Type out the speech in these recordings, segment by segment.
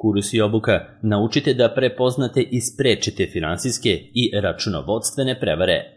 Kurs i obuka naučite da prepoznate i sprečite finansijske i računovodstvene prevare.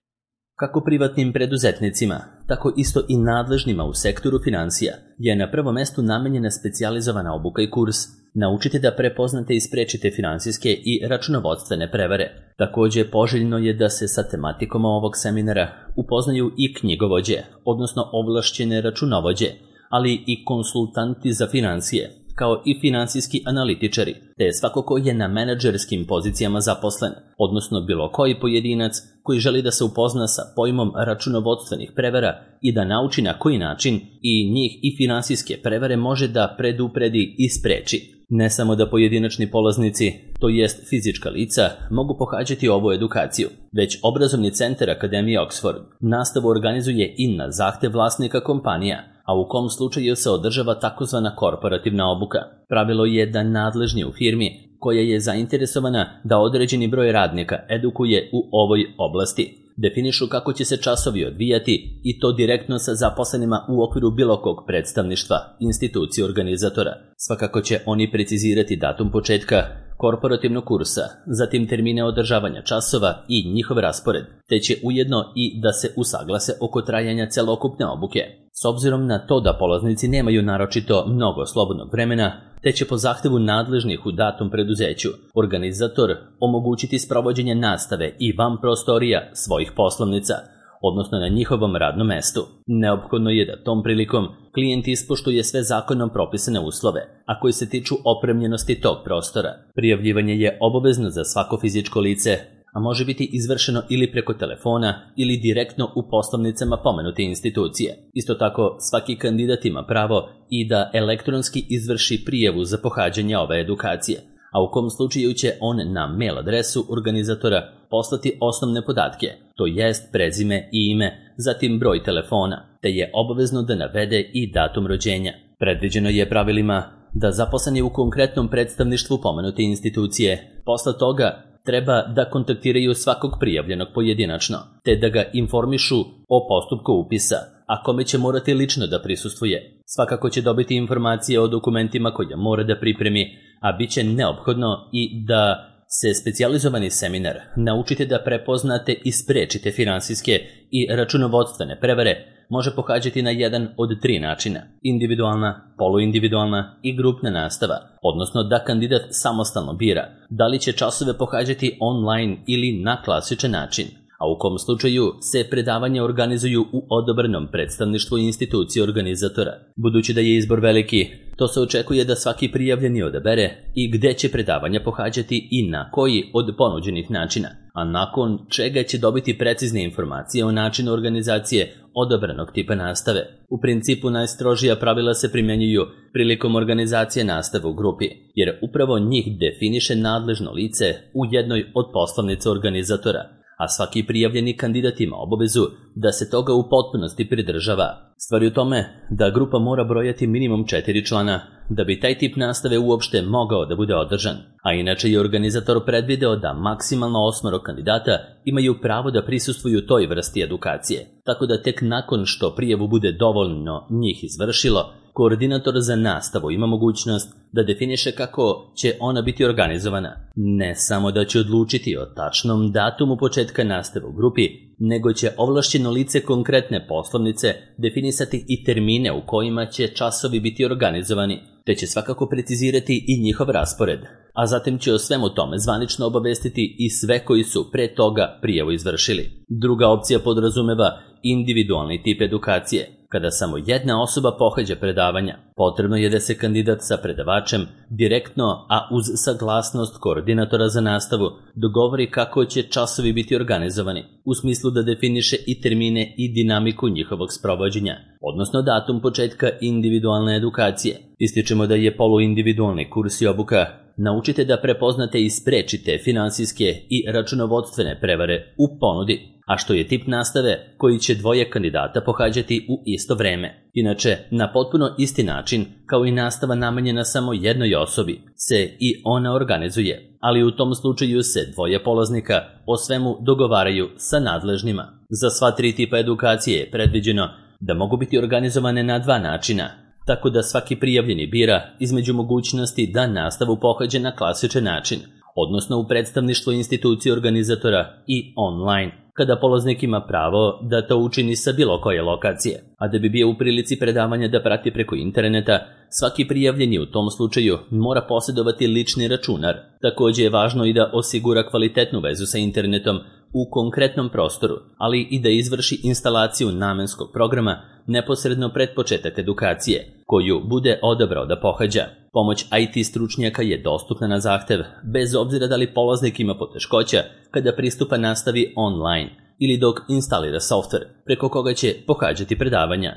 Kako privatnim preduzetnicima, tako isto i nadležnima u sektoru finansija je na prvom mestu namenjena specijalizovana obuka i kurs. Naučite da prepoznate i sprečite finansijske i računovodstvene prevare. Takođe, poželjno je da se sa tematikom ovog seminara upoznaju i knjigovođe, odnosno ovlašćene računovođe, ali i konsultanti za finansije, kao i finansijski analitičari, te svako ko je na menadžerskim pozicijama zaposlen, odnosno bilo koji pojedinac koji želi da se upozna sa pojmom računovodstvenih prevara i da nauči na koji način i njih i finansijske prevare može da predupredi i spreči. Ne samo da pojedinačni polaznici, to jest fizička lica, mogu pohađati ovu edukaciju, već obrazovni centar Akademije Oxford nastavu organizuje i na zahtev vlasnika kompanija, a u kom slučaju se održava takozvana korporativna obuka. Pravilo je da nadležni u firmi koja je zainteresovana da određeni broj radnika edukuje u ovoj oblasti definišu kako će se časovi odvijati i to direktno sa zaposlenima u okviru bilo kog predstavništva, institucije organizatora. Svakako će oni precizirati datum početka korporativnog kursa, zatim termine održavanja časova i njihov raspored, te će ujedno i da se usaglase oko trajanja celokupne obuke. S obzirom na to da polaznici nemaju naročito mnogo slobodnog vremena, te će po zahtevu nadležnih u datom preduzeću organizator omogućiti sprovođenje nastave i van prostorija svojih poslovnica, odnosno na njihovom radnom mestu. Neophodno je da tom prilikom klijent ispoštuje sve zakonom propisane uslove, a koji se tiču opremljenosti tog prostora. Prijavljivanje je obavezno za svako fizičko lice, a može biti izvršeno ili preko telefona ili direktno u poslovnicama pomenute institucije. Isto tako, svaki kandidat ima pravo i da elektronski izvrši prijavu za pohađanje ove edukacije, a u kom slučaju će on na mail adresu organizatora poslati osnovne podatke, to jest prezime i ime, zatim broj telefona, te je obavezno da navede i datum rođenja. Predviđeno je pravilima da zaposleni u konkretnom predstavništvu pomenute institucije posle toga treba da kontaktiraju svakog prijavljenog pojedinačno, te da ga informišu o postupku upisa, a kome će morati lično da prisustvuje. Svakako će dobiti informacije o dokumentima koje mora da pripremi, a bit će neophodno i da se specijalizovani seminar naučite da prepoznate i sprečite finansijske i računovodstvene prevare može pohađati na jedan od 3 načina: individualna, poluindividualna i grupna nastava, odnosno da kandidat samostalno bira da li će časove pohađati online ili na klasičan način, a u kom slučaju se predavanja organizuju u odabranom predstavništvu institucije organizatora. Budući da je izbor veliki, to se očekuje da svaki prijavljeni odabere i gde će predavanja pohađati i na koji od ponuđenih načina, a nakon čega će dobiti precizne informacije o načinu organizacije odabranog tipa nastave. U principu najstrožija pravila se primjenjuju prilikom organizacije nastave u grupi, jer upravo njih definiše nadležno lice u jednoj od poslovnica organizatora, a svaki prijavljeni kandidat ima obavezu da se toga u potpunosti pridržava. Stvar je u tome da grupa mora brojati minimum 4 člana da bi taj tip nastave uopšte mogao da bude održan, a inače je organizator predvideo da maksimalno 8 kandidata imaju pravo da prisustvuju toj vrsti edukacije, tako da tek nakon što prijavu bude dovoljno njih izvršilo, koordinator za nastavu ima mogućnost da definiše kako će ona biti organizovana. Ne samo da će odlučiti o tačnom datumu početka nastave u grupi, nego će ovlašćeno lice konkretne poslovnice definisati i termine u kojima će časovi biti organizovani, te će svakako precizirati i njihov raspored, a zatim će o svemu tome zvanično obavestiti i sve koji su pre toga prijavu izvršili. Druga opcija podrazumeva individualni tip edukacije, kada samo jedna osoba pohađa predavanja. Potrebno je da se kandidat sa predavačem direktno, a uz saglasnost koordinatora za nastavu, dogovori kako će časovi biti organizovani, u smislu da definiše i termine i dinamiku njihovog sprovođenja, odnosno datum početka individualne edukacije. Ističemo da je poluindividualni kurs i obuka naučite da prepoznate i sprečite finansijske i računovodstvene prevare u ponudi, a što je tip nastave koji će 2 kandidata pohađati u isto vreme. Inače, na potpuno isti način, kao i nastava namenjena samo jednoj osobi, se i ona organizuje, ali u tom slučaju se 2 polaznika o svemu dogovaraju sa nadležnima. Za sva 3 tipa edukacije je predviđeno da mogu biti organizovane na 2 načina, tako da svaki prijavljeni bira između mogućnosti da nastavu pohađa na klasičan način, odnosno u predstavništvu institucije organizatora i online, kada polaznik ima pravo da to učini sa bilo koje lokacije, a da bi bio u prilici predavanja da prati preko interneta, svaki prijavljeni u tom slučaju mora posjedovati lični računar. Također je važno i da osigura kvalitetnu vezu sa internetom u konkretnom prostoru, ali i da izvrši instalaciju namenskog programa neposredno pred početak edukacije, koju bude odabrao da pohađa. Pomoć IT stručnjaka je dostupna na zahtev, bez obzira da li polaznik ima poteškoća kada pristupa nastavi online ili dok instalira softver preko koga će pohađati predavanja.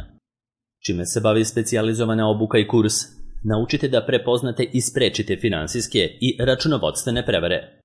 Čime se bavi specijalizovana obuka i kurs? Naučite da prepoznate i sprečite finansijske i računovodstvene prevare.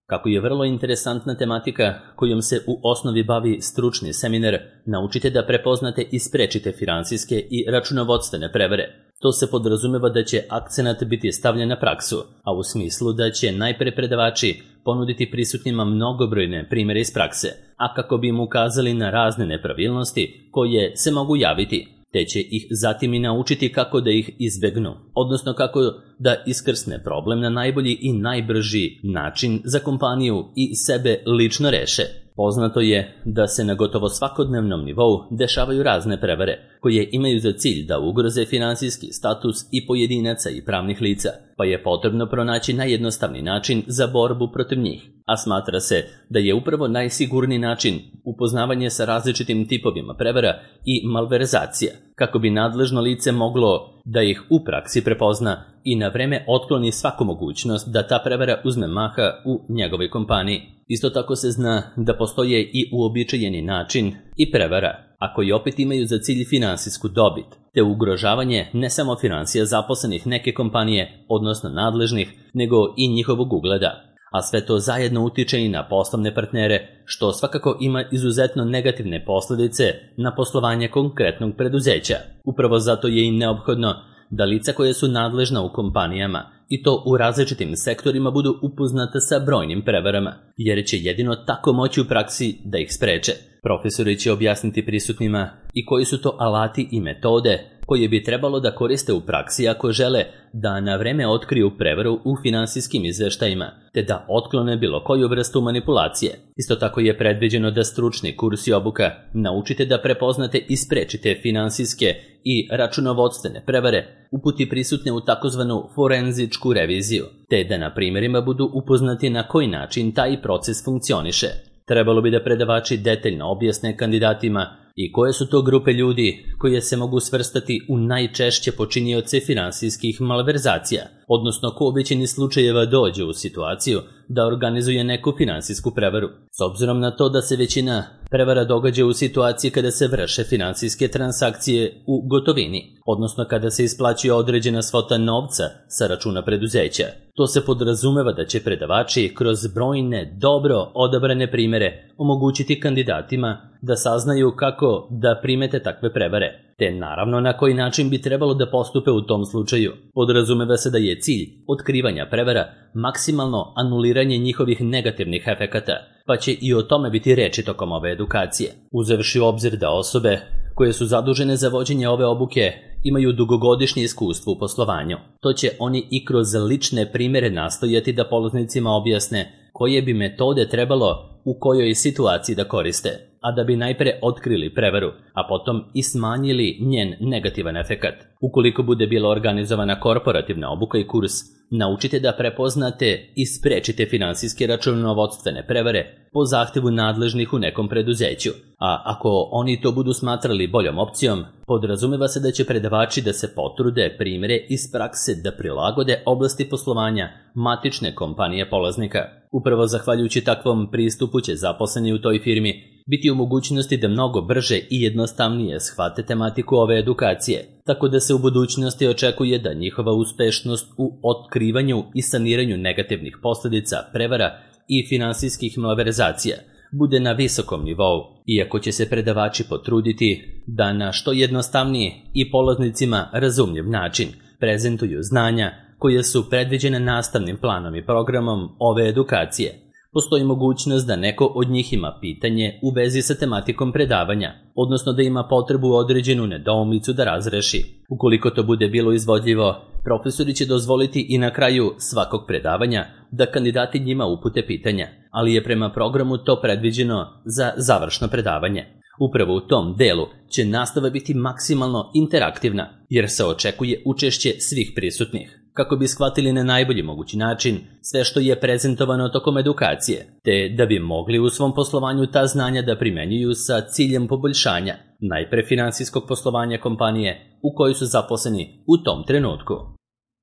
Kako je vrlo interesantna tematika kojom se u osnovi bavi stručni seminar, naučite da prepoznate i sprečite finansijske i računovodstvene prevare. To se podrazumeva da će akcenat biti stavljen na praksu, a u smislu da će najpre predavači ponuditi prisutnima mnogobrojne primjere iz prakse, a kako bi im ukazali na razne nepravilnosti koje se mogu javiti, te će ih zatim i naučiti kako da ih izbegnu, odnosno kako da iskrsne problem na najbolji i najbrži način za kompaniju i sebe lično reše. Poznato je da se na gotovo svakodnevnom nivou dešavaju razne prevare, koje imaju za cilj da ugroze finansijski status i pojedinaca i pravnih lica, pa je potrebno pronaći najjednostavniji način za borbu protiv njih. A smatra se da je upravo najsigurniji način upoznavanje sa različitim tipovima prevara i malverzacija, kako bi nadležno lice moglo da ih u praksi prepozna i na vreme otkloni svaku mogućnost da ta prevara uzme maha u njegovoj kompaniji. Isto tako se zna da postoje i uobičajeni način i prevara, a koji opet imaju za cilj finansijsku dobit, te ugrožavanje ne samo finansija zaposlenih neke kompanije, odnosno nadležnih, nego i njihovog ugleda. A sve to zajedno utiče i na poslovne partnere, što svakako ima izuzetno negativne posljedice na poslovanje konkretnog preduzeća. Upravo zato je i neophodno da lica koje su nadležna u kompanijama, i to u različitim sektorima, budu upoznata sa brojnim prevarama, jer će jedino tako moći u praksi da ih spreče. Profesori će objasniti prisutnima i koji su to alati i metode koje bi trebalo da koriste u praksi ako žele da na vreme otkriju prevaru u finansijskim izveštajima, te da otklone bilo koju vrstu manipulacije. Isto tako je predviđeno da stručni kurs i obuka naučite da prepoznate i sprečite finansijske i računovodstvene prevare, uputi prisutne u takozvanu forenzičku reviziju, te da na primjerima budu upoznati na koji način taj proces funkcioniše. Trebalo bi da predavači detaljno objasne kandidatima i koje su to grupe ljudi koje se mogu svrstati u najčešće počinioce finansijskih malverzacija, odnosno ko u većini slučajeva dođe u situaciju da organizuje neku finansijsku prevaru. S obzirom na to da se većina prevara događa u situaciji kada se vrše finansijske transakcije u gotovini, odnosno kada se isplaćuje određena svota novca sa računa preduzeća. To se podrazumeva da će predavači kroz brojne dobro odabrane primjere omogućiti kandidatima da saznaju kako da primete takve prevare, te naravno na koji način bi trebalo da postupe u tom slučaju. Podrazumeva se da je cilj otkrivanja prevara maksimalno anuliranje njihovih negativnih efekata, pa će i o tome biti reči tokom ove edukacije. Uzevši u obzir da osobe koje su zadužene za vođenje ove obuke imaju dugogodišnje iskustvo u poslovanju, to će oni i kroz lične primjere nastojati da polaznicima objasne koje bi metode trebalo u kojoj situaciji da koriste, a da bi najpre otkrili prevaru, a potom i smanjili njen negativan efekat. Ukoliko bude bila organizovana korporativna obuka i kurs, naučite da prepoznate i sprečite finansijske računovodstvene prevare po zahtevu nadležnih u nekom preduzeću, a ako oni to budu smatrali boljom opcijom, podrazumeva se da će predavači da se potrude primjere iz prakse da prilagode oblasti poslovanja matične kompanije polaznika. Upravo zahvaljujući takvom pristupu će zaposleni u toj firmi biti u mogućnosti da mnogo brže i jednostavnije shvate tematiku ove edukacije, tako da se u budućnosti očekuje da njihova uspešnost u otkrivanju i saniranju negativnih posljedica prevara i finansijskih malverzacija bude na visokom nivou, iako će se predavači potruditi da na što jednostavniji i polaznicima razumljiv način prezentuju znanja koje su predviđene nastavnim planom i programom ove edukacije. Postoji mogućnost da neko od njih ima pitanje u vezi sa tematikom predavanja, odnosno da ima potrebu određenu nedoumicu da razreši. Ukoliko to bude bilo izvodljivo, profesori će dozvoliti i na kraju svakog predavanja da kandidati njima upute pitanja, ali je prema programu to predviđeno za završno predavanje. Upravo u tom delu će nastava biti maksimalno interaktivna, jer se očekuje učešće svih prisutnih, kako bi shvatili na najbolji mogući način sve što je prezentovano tokom edukacije, te da bi mogli u svom poslovanju ta znanja da primenjuju sa ciljem poboljšanja, najpre finansijskog poslovanja kompanije u kojoj su zaposleni u tom trenutku.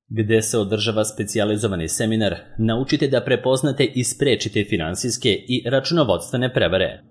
Gde se održava specijalizovani seminar, naučite da prepoznate i sprečite finansijske i računovodstvene prevare.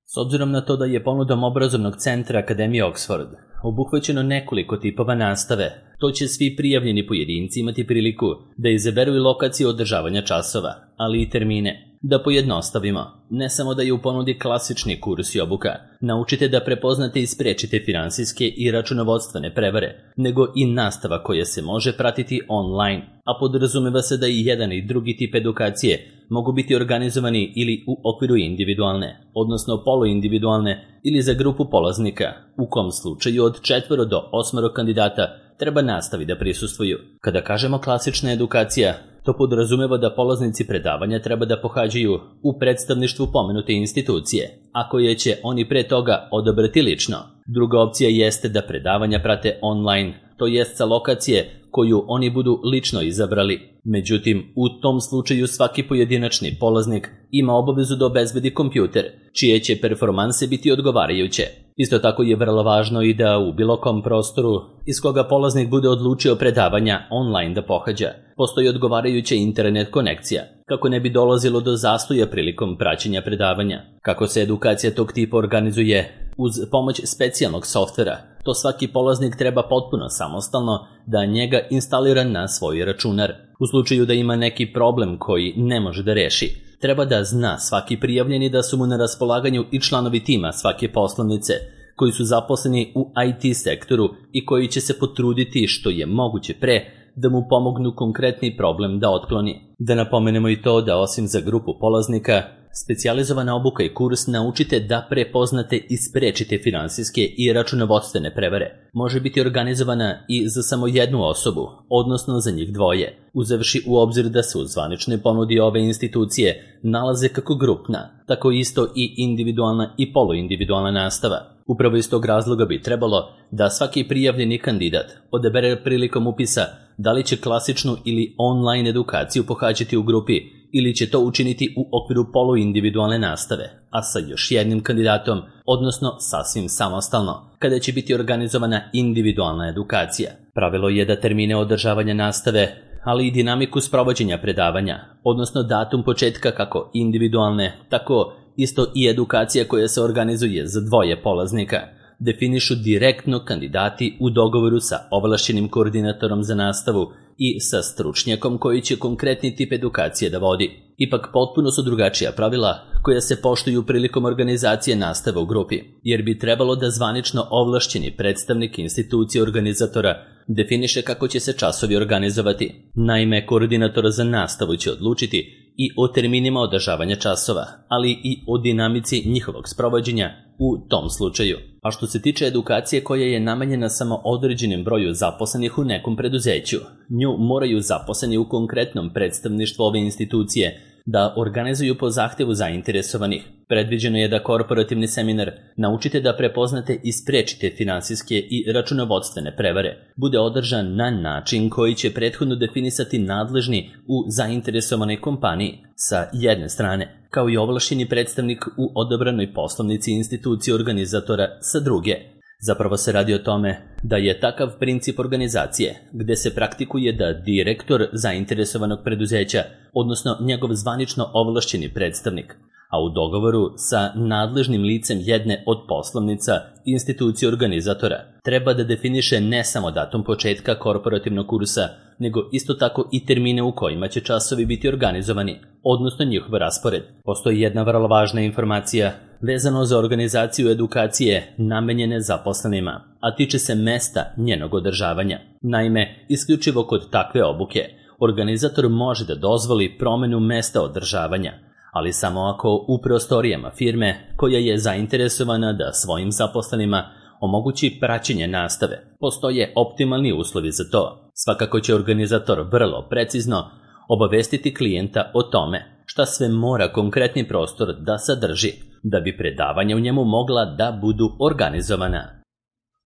S obzirom na to da je ponudom obrazovnog centra Akademije Oxford obuhvaćeno nekoliko tipova nastave, to će svi prijavljeni pojedinci imati priliku da izaberu i lokaciju održavanja časova, ali i termine. Da pojednostavimo, ne samo da je u ponudi klasični kurs i obuka, naučite da prepoznate i sprečite finansijske i računovodstvene prevare, nego i nastava koja se može pratiti online, a podrazumeva se da i jedan i drugi tip edukacije mogu biti organizovani ili u okviru individualne, odnosno poluindividualne ili za grupu polaznika, u kom slučaju od 4 do 8 kandidata treba nastavi da prisustvuju. Kada kažemo klasična edukacija, to podrazumeva da polaznici predavanja treba da pohađaju u predstavništvu pomenute institucije, a koje će oni pre toga odabrati lično. Druga opcija jeste da predavanja prate online, to jest sa lokacije koju oni budu lično izabrali. Međutim, u tom slučaju svaki pojedinačni polaznik ima obavezu da obezbedi kompjuter, čije će performanse biti odgovarajuće. Isto tako je vrlo važno i da u bilo kom prostoru iz koga polaznik bude odlučio predavanja online da pohađa, postoji odgovarajuća internet konekcija, kako ne bi dolazilo do zastoja prilikom praćenja predavanja. Kako se edukacija tog tipa organizuje uz pomoć specijalnog softvera, to svaki polaznik treba potpuno samostalno da njega instalira na svoj računar. U slučaju da ima neki problem koji ne može da reši, treba da zna svaki prijavljeni da su mu na raspolaganju i članovi tima svake poslovnice, koji su zaposleni u IT sektoru i koji će se potruditi što je moguće pre da mu pomognu konkretni problem da otkloni. Da napomenemo i to da osim za grupu polaznika, specijalizovana obuka i kurs naučite da prepoznate i sprečite finansijske i računovodstvene prevare. Može biti organizovana i za samo jednu osobu, odnosno za njih dvoje, uzevši u obzir da se u zvaničnoj ponudi ove institucije nalaze kako grupna, tako isto i individualna i poluindividualna nastava. Upravo iz tog razloga bi trebalo da svaki prijavljeni kandidat odabere prilikom upisa da li će klasičnu ili online edukaciju pohađati u grupi ili će to učiniti u okviru poluindividualne nastave, a sa još jednim kandidatom, odnosno sasvim samostalno, kada će biti organizovana individualna edukacija. Pravilo je da termine održavanja nastave, ali i dinamiku sprovođenja predavanja, odnosno datum početka kako individualne, tako isto i edukacija koja se organizuje za dvoje polaznika, definišu direktno kandidati u dogovoru sa ovlašćenim koordinatorom za nastavu i sa stručnjakom koji će konkretni tip edukacije da vodi. Ipak potpuno su drugačija pravila koja se poštuju prilikom organizacije nastave u grupi, jer bi trebalo da zvanično ovlašćeni predstavnik institucije organizatora definiše kako će se časovi organizovati. Naime, koordinator za nastavu će odlučiti i o terminima održavanja časova, ali i o dinamici njihovog sprovođenja u tom slučaju. A što se tiče edukacije koja je namenjena samo određenim broju zaposlenih u nekom preduzeću, nju moraju zaposleni u konkretnom predstavništvu ove institucije da organizuju po zahtjevu zainteresovanih. Predviđeno je da korporativni seminar naučite da prepoznate i sprečite finansijske i računovodstvene prevare bude održan na način koji će prethodno definisati nadležni u zainteresovanoj kompaniji sa jedne strane, kao i ovlašćeni predstavnik u odabranoj poslovnici institucije organizatora sa druge. Zapravo se radi o tome da je takav princip organizacije gde se praktikuje da direktor zainteresovanog preduzeća, odnosno njegov zvanično ovlašćeni predstavnik, a u dogovoru sa nadležnim licem jedne od poslovnica institucije organizatora, treba da definiše ne samo datum početka korporativnog kursa, nego isto tako i termine u kojima će časovi biti organizovani, odnosno njihov raspored. Postoji jedna vrlo važna informacija vezano za organizaciju edukacije namenjene zaposlenima, a tiče se mesta njenog održavanja. Naime, isključivo kod takve obuke, organizator može da dozvoli promenu mesta održavanja, ali samo ako u prostorijama firme koja je zainteresovana da svojim zaposlenima omogući praćenje nastave postoje optimalni uslovi za to. Svakako će organizator vrlo precizno obavestiti klijenta o tome šta sve mora konkretni prostor da sadrži da bi predavanja u njemu mogla da budu organizovana.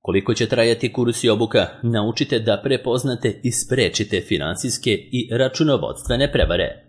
Koliko će trajati kurs i obuka, naučite da prepoznate i sprečite finansijske i računovodstvene prevare.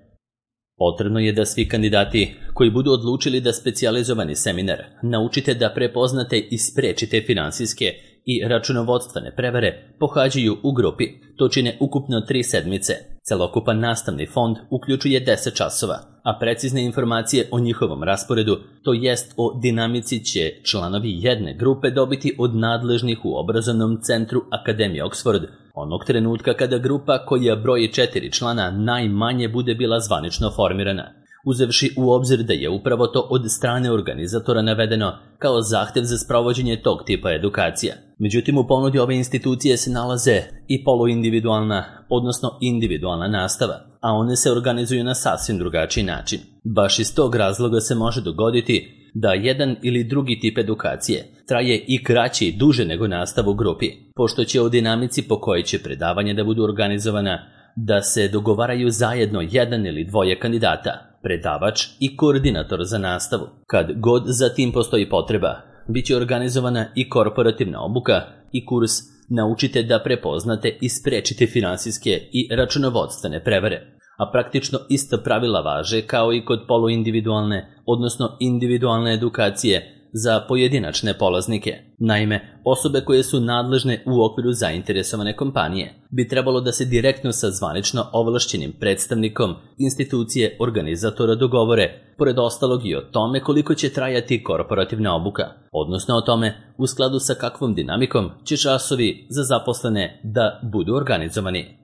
Potrebno je da svi kandidati koji budu odlučili da specijalizovani seminar naučite da prepoznate i sprečite finansijske i računovodstvene prevare pohađaju u grupi. To čine ukupno 3 sedmice. Celokupan nastavni fond uključuje 10 časova, a precizne informacije o njihovom rasporedu, to jest o dinamici, će članovi jedne grupe dobiti od nadležnih u obrazovnom centru Akademije Oxford onog trenutka kada grupa koja broji 4 člana najmanje bude bila zvanično formirana, uzevši u obzir da je upravo to od strane organizatora navedeno kao zahtev za sprovođenje tog tipa edukacija. Međutim, u ponudi ove institucije se nalaze i poluindividualna, odnosno individualna nastava, a one se organizuju na sasvim drugačiji način. Baš iz tog razloga se može dogoditi da jedan ili drugi tip edukacije traje i kraće i duže nego nastavu u grupi, pošto će o dinamici po kojoj će predavanje da budu organizovana da se dogovaraju zajedno jedan ili dvoje kandidata, predavač i koordinator za nastavu. Kad god za tim postoji potreba, bit će organizovana i korporativna obuka i kurs Naučite da prepoznate i sprečite finansijske i računovodstvene prevare, a praktično ista pravila važe kao i kod poluindividualne, odnosno individualne edukacije za pojedinačne polaznike. Naime, osobe koje su nadležne u okviru zainteresovane kompanije bi trebalo da se direktno sa zvanično ovlašćenim predstavnikom institucije organizatora dogovore, pored ostalog i o tome koliko će trajati korporativna obuka, odnosno o tome u skladu sa kakvom dinamikom će časovi za zaposlene da budu organizovani.